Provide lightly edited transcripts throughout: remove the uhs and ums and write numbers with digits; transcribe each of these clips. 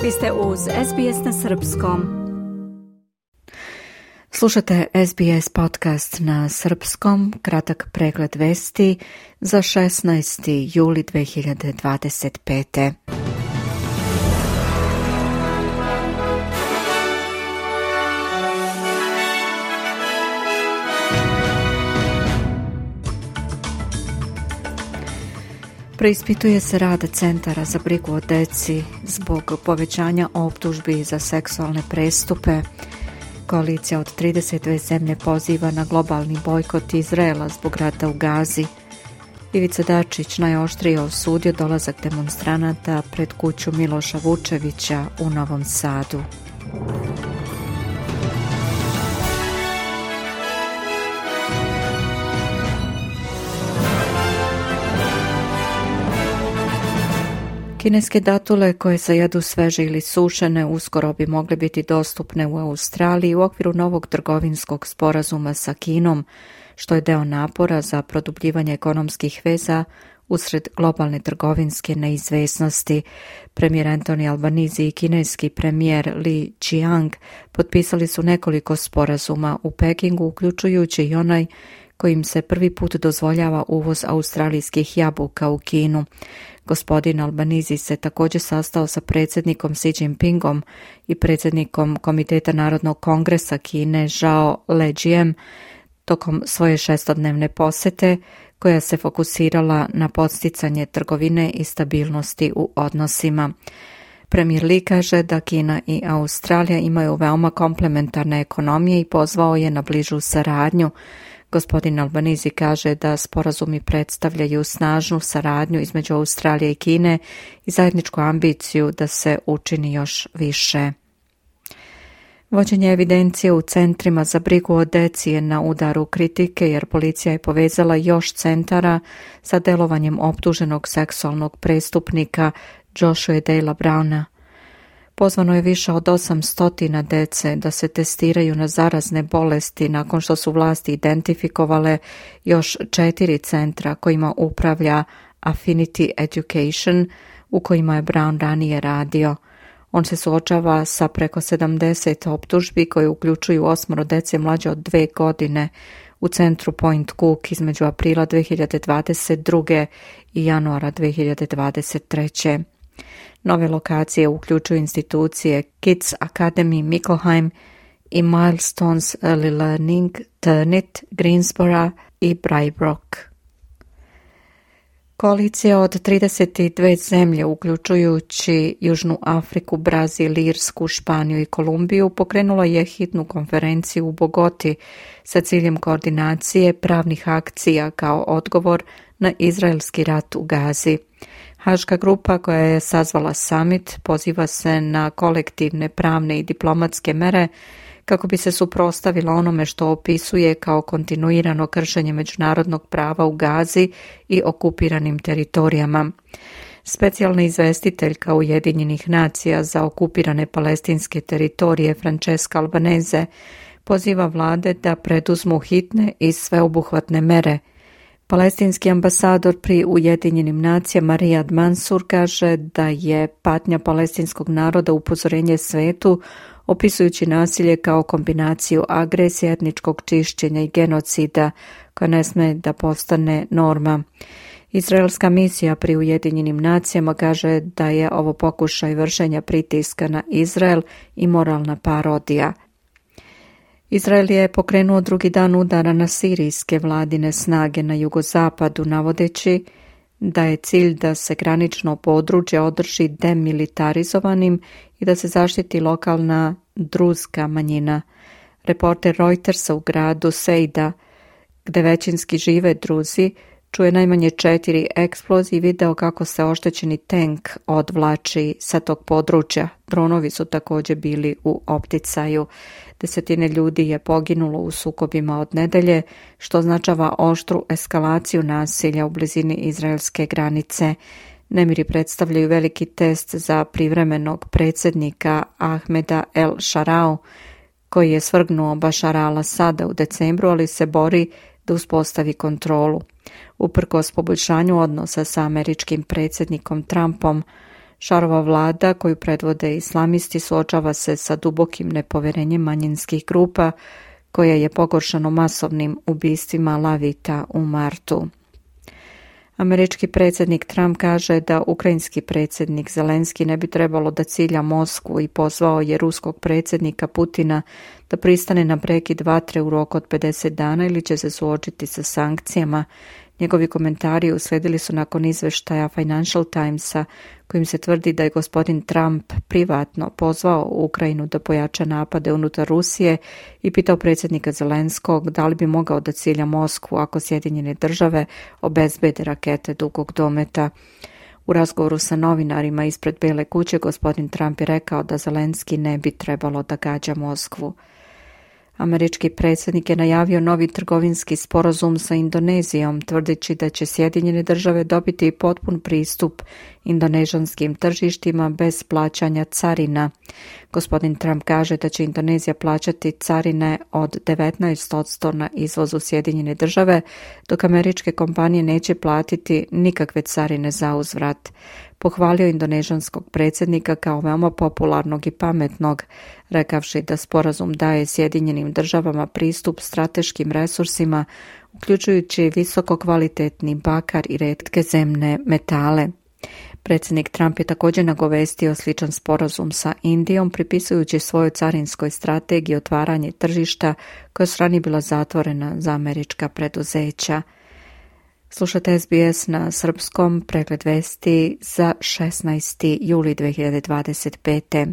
Vi ste uz SBS na srpskom. Slušate SBS podcast na srpskom, kratak pregled vesti za 16. juli 2025. Preispituje se rad centara za brigu o deci zbog povećanja optužbi za seksualne prestupe. Koalicija od 32 zemlje poziva na globalni bojkot Izraela zbog rata u Gazi. Ivica Dačić najoštrije osudio dolazak demonstranata pred kuću Miloša Vučevića u Novom Sadu. Kineske datule koje se jedu sveže ili sušene uskoro bi mogle biti dostupne u Australiji u okviru novog trgovinskog sporazuma sa Kinom, što je deo napora za produbljivanje ekonomskih veza usred globalne trgovinske neizvesnosti. Premijer Anthony Albanese i kineski premijer Li Qiang potpisali su nekoliko sporazuma u Pekingu, uključujući i onaj kojim se prvi put dozvoljava uvoz australijskih jabuka u Kinu. Gospodin Albanese se također sastao sa predsjednikom Xi Jinpingom i predsjednikom Komiteta Narodnog kongresa Kine Zhao Lejijem tokom svoje 6-dnevne posjete koja se fokusirala na podsticanje trgovine i stabilnosti u odnosima. Premijer Li kaže da Kina i Australija imaju veoma komplementarne ekonomije i pozvao je na bližu saradnju. Gospodin Albanese kaže da sporazumi predstavljaju snažnu saradnju između Australije i Kine i zajedničku ambiciju da se učini još više. Vođenje evidencije u centrima za brigu o deci je na udaru kritike jer policija je povezala još centara sa delovanjem optuženog seksualnog prestupnika Joshua Dale Browna. Pozvano je više od 800 dece da se testiraju na zarazne bolesti nakon što su vlasti identifikovale još 4 centra kojima upravlja Affinity Education u kojima je Brown ranije radio. On se suočava sa preko 70 optužbi koje uključuju 8 dece mlađe od 2 godine u centru Point Cook između aprila 2022. i januara 2023. Nove lokacije uključuju institucije Kids Academy Mickleham i Milestones Early Learning, Turnit, Greensboro i Braybrook. Koalicija od 32 zemlje, uključujući Južnu Afriku, Brazil, Irsku, Španiju i Kolumbiju, pokrenula je hitnu konferenciju u Bogoti sa ciljem koordinacije pravnih akcija kao odgovor na izraelski rat u Gazi. Haška grupa koja je sazvala summit poziva se na kolektivne pravne i diplomatske mere kako bi se suprotstavila onome što opisuje kao kontinuirano kršenje međunarodnog prava u Gazi i okupiranim teritorijama. Specijalna izvestiteljka Ujedinjenih nacija za okupirane palestinske teritorije Francesca Albanese poziva vlade da preduzmu hitne i sveobuhvatne mere. Palestinski ambasador pri Ujedinjenim nacijama Riyad Mansour kaže da je patnja palestinskog naroda upozorenje svetu, opisujući nasilje kao kombinaciju agresije, etničkog čišćenja i genocida koja ne sme da postane norma. Izraelska misija pri Ujedinjenim nacijama kaže da je ovo pokušaj vršenja pritiska na Izrael i moralna parodija. Izrael je pokrenuo drugi dan udara na sirijske vladine snage na jugozapadu, navodeći da je cilj da se granično područje održi demilitarizovanim i da se zaštiti lokalna druzka manjina. Reporter Reutersa u gradu Sejda, gde većinski žive Druzi, čuje najmanje 4 eksplozije i video kako se oštećeni tank odvlači sa tog područja. Dronovi su također bili u opticaju. 10 ljudi je poginulo u sukobima od nedelje, što označava oštru eskalaciju nasilja u blizini izraelske granice. Nemiri predstavljaju veliki test za privremenog predsjednika Ahmeda El Sharau, koji je svrgnuo Bašara al-Asada u decembru, ali se bori da uspostavi kontrolu. Uprkos poboljšanju odnosa sa američkim predsjednikom Trumpom, Šarova vlada, koju predvode islamisti, suočava se sa dubokim nepoverenjem manjinskih grupa, koje je pogoršano masovnim ubistvima Lavita u martu. Američki predsjednik Trump kaže da ukrajinski predsjednik Zelenski ne bi trebalo da cilja Moskvu i pozvao je ruskog predsjednika Putina da pristane na prekid vatre u roku od 50 dana ili će se suočiti sa sankcijama. Njegovi komentari uslijedili su nakon izveštaja Financial Timesa kojim se tvrdi da je gospodin Trump privatno pozvao Ukrajinu da pojača napade unutar Rusije i pitao predsjednika Zelenskog da li bi mogao da cilja Moskvu ako Sjedinjene države obezbede rakete dugog dometa. U razgovoru sa novinarima ispred Bele kuće gospodin Trump je rekao da Zelenski ne bi trebalo da gađa Moskvu. Američki predsjednik je najavio novi trgovinski sporazum sa Indonezijom, tvrdeći da će Sjedinjene države dobiti potpun pristup indonežanskim tržištima bez plaćanja carina. Gospodin Trump kaže da će Indonezija plaćati carine od 19% na izvoz u Sjedinjene države, dok američke kompanije neće platiti nikakve carine za uzvrat. Pohvalio indonežanskog predsjednika kao veoma popularnog i pametnog, rekavši da sporazum daje Sjedinjenim državama pristup strateškim resursima, uključujući visoko kvalitetni bakar i retke zemne metale. Predsjednik Trump je također nagovestio sličan sporazum sa Indijom, pripisujući svojoj carinskoj strategiji otvaranje tržišta koja su ranije bila zatvorena za američka preduzeća. Slušate SBS na srpskom, pregled vesti za 16. juli 2025.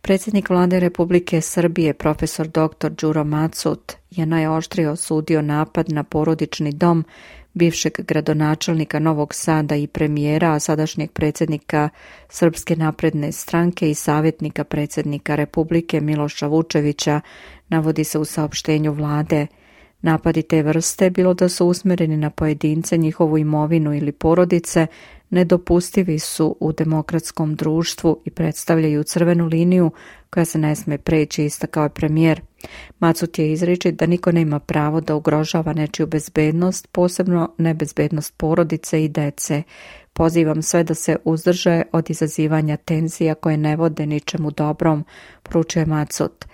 Predsjednik Vlade Republike Srbije, profesor dr. Đuro Macut, je najoštrije osudio napad na porodični dom bivšeg gradonačelnika Novog Sada i premijera, a sadašnjeg predsjednika Srpske napredne stranke i savjetnika predsjednika Republike Miloša Vučevića, navodi se u saopštenju vlade. Napadi te vrste, bilo da su usmjereni na pojedince, njihovu imovinu ili porodice, nedopustivi su u demokratskom društvu i predstavljaju crvenu liniju koja se ne smije preći, istakao je premijer. Macut je izričit da niko nema pravo da ugrožava nečiju bezbednost, posebno nebezbednost porodice i dece. Pozivam sve da se uzdrže od izazivanja tenzija koje ne vode ničemu dobrom, poručio je Macut.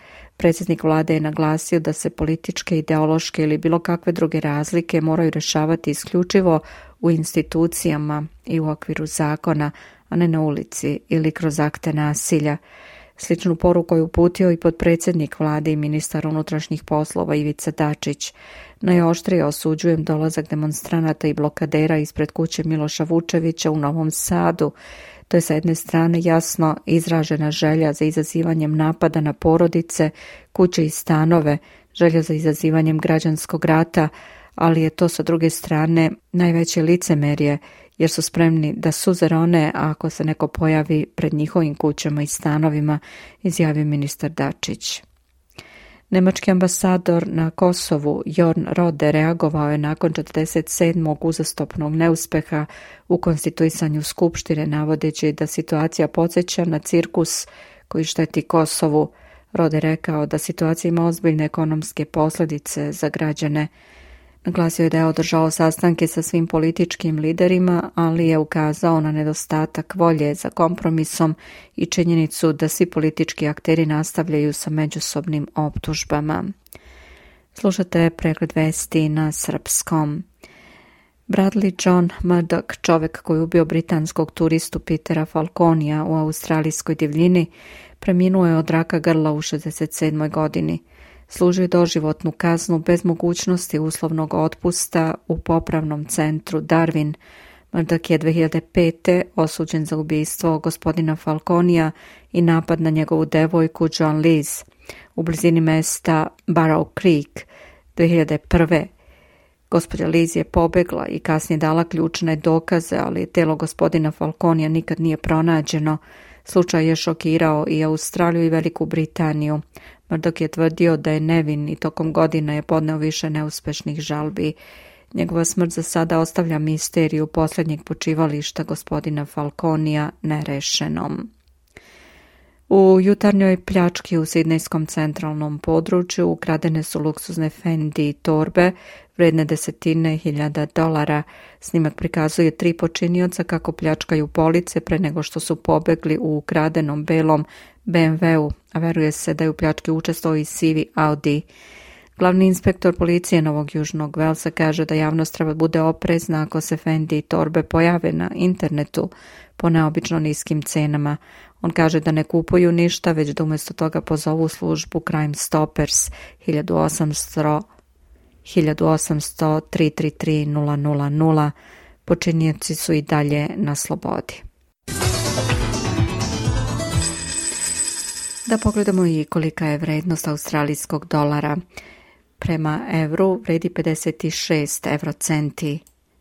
Predsjednik vlade je naglasio da se političke, ideološke ili bilo kakve druge razlike moraju rješavati isključivo u institucijama i u okviru zakona, a ne na ulici ili kroz akte nasilja. Sličnu poruku je uputio i potpredsjednik vlade i ministar unutrašnjih poslova Ivica Dačić. Najoštrije osuđujem dolazak demonstranata i blokadera ispred kuće Miloša Vučevića u Novom Sadu. To je sa jedne strane jasno izražena želja za izazivanjem napada na porodice, kuće i stanove, želja za izazivanjem građanskog rata, ali je to sa druge strane najveće licemerje, jer su spremni da suze rone ako se neko pojavi pred njihovim kućama i stanovima, izjavio ministar Dačić. Nemački ambasador na Kosovu, Jorn Rode, reagovao je nakon 47. uzastopnog neuspeha u konstituisanju skupštine, navodeći da situacija podsjeća na cirkus koji šteti Kosovu. Rode rekao da situacija ima ozbiljne ekonomske posljedice za građane. Naglasio je da je održao sastanke sa svim političkim liderima, ali je ukazao na nedostatak volje za kompromisom i činjenicu da svi politički akteri nastavljaju sa međusobnim optužbama. Slušate pregled vesti na srpskom. Bradley John Murdoch, čovjek koji je ubio britanskog turistu Petera Falconija u australijskoj divljini, preminuo je od raka grla u 67. godini. Služio je doživotnu kaznu bez mogućnosti uslovnog otpusta u popravnom centru Darwin. Murdoch je 2005. osuđen za ubijstvo gospodina Falconija i napad na njegovu devojku Joan Liz u blizini mesta Barrow Creek 2001. Gospođa Liz je pobegla i kasnije dala ključne dokaze, ali telo gospodina Falconija nikad nije pronađeno. Slučaj je šokirao i Australiju i Veliku Britaniju. Murdoch je tvrdio da je nevin i tokom godina je podneo više neuspešnih žalbi. Njegova smrt za sada ostavlja misteriju posljednjeg počivališta gospodina Falconija nerešenom. U jutarnjoj pljački u sidnejskom centralnom području ukradene su luksuzne Fendi torbe vredne $10.000. Snimak prikazuje 3 počinioca kako pljačkaju police pre nego što su pobegli u ukradenom belom BMW-u, a veruje se da je u pljački učestvovao i sivi Audi. Glavni inspektor policije Novog Južnog Velsa kaže da javnost treba bude oprezna ako se Fendi i torbe pojave na internetu po neobično niskim cenama. On kaže da ne kupuju ništa, već da umjesto toga pozovu službu Crime Stoppers 1800 333 000. Počinioci su i dalje na slobodi. Da pogledamo i kolika je vrednost australijskog dolara. Prema evru vredi 56 eurocenti,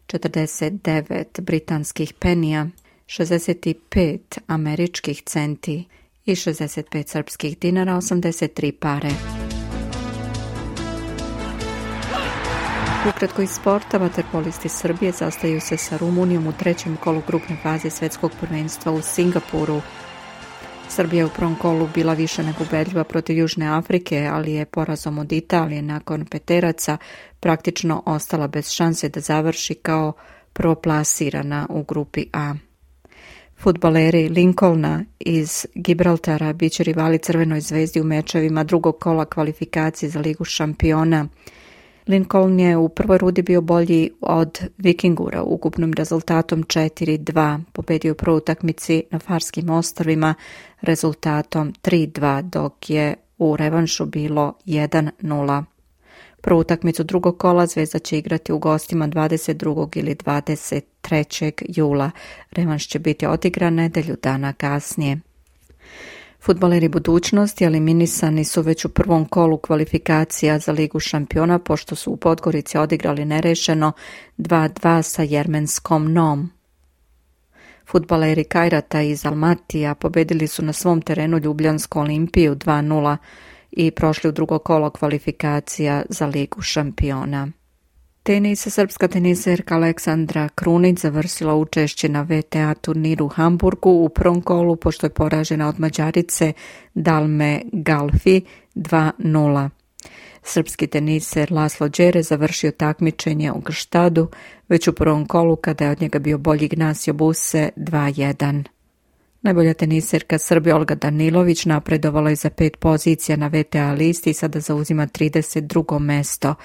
49 britanskih penija, 65 američkih centi i 65 srpskih dinara, 83 pare. Ukratko iz sporta, vaterpolisti Srbije sastaju se sa Rumunijom u 3. kolu grupne faze svjetskog prvenstva u Singapuru. Srbija je u prvom kolu bila više nego ubedljiva protiv Južne Afrike, ali je porazom od Italije nakon peteraca praktično ostala bez šanse da završi kao prvoplasirana u grupi A. Fudbaleri Lincolna iz Gibraltara biće rivali Crvenoj zvezdi u mečevima drugog kola kvalifikacije za Ligu šampiona. Lincoln je u prvoj rundi bio bolji od Vikingura ukupnim rezultatom 4-2. Pobedio u prvoj utakmici na Farskim ostrvima rezultatom 3-2, dok je u revanšu bilo 1-0. Prvu utakmicu drugog kola Zvezda će igrati u gostima 22. ili 23. jula. Revanš će biti odigran nedelju dana kasnije. Fudbaleri budućnosti eliminisani su već u prvom kolu kvalifikacija za Ligu šampiona, pošto su u Podgorici odigrali nerešeno 2-2 sa Jermenskom Nom. Fudbaleri Kajrata iz Almatija pobedili su na svom terenu Ljubljansku Olimpiju 2-0 i prošli u drugo kolo kvalifikacija za Ligu šampiona. Tenis, srpska teniserka Aleksandra Krunić završila učešće na VTA turniru u Hamburgu u prvom kolu pošto je poražena od Mađarice Dalme Galfi 2-0. Srpski teniser Laslo Đere završio takmičenje u Gštadu već u prvom kolu kada je od njega bio bolji Ignacio Buse 2-1. Najbolja teniserka Srbije Olga Danilović napredovala je za 5 pozicija na VTA listi i sada zauzima 32. mesto,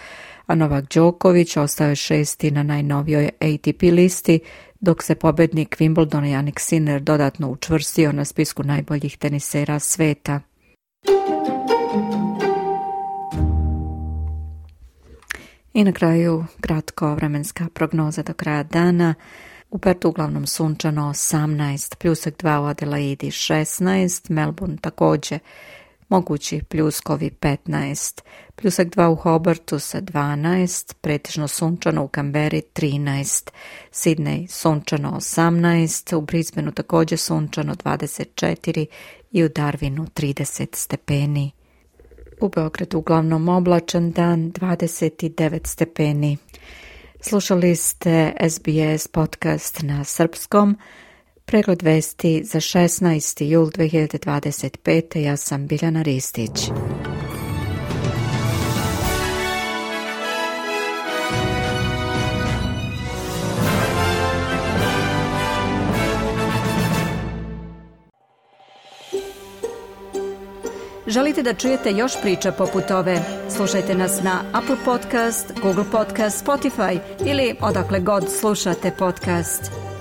a Novak Đoković ostao je 6. na najnovijoj ATP listi, dok se pobednik Wimbledona Jannik Sinner dodatno učvrstio na spisku najboljih tenisera sveta. I na kraju kratko vremenska prognoza do kraja dana. U Pertu uglavnom sunčano 18, pljusak 2 u Adelaidi 16, Melbourne također mogući pljuskovi 15, pljusak 2 u Hobartu sa 12, pretežno sunčano u Kamberi 13, Sidney sunčano 18, u Brisbaneu također sunčano 24 i u Darwinu 30 stepeni. U Beogradu uglavnom oblačan dan 29 stepeni. Slušali ste SBS podcast na srpskom. Pregled vesti za 16. jul 2025. Ja sam Biljana Ristić. Želite da čujete još priča poput ove? Slušajte nas na Apple Podcast, Google Podcast, Spotify ili odakle god slušate podcast.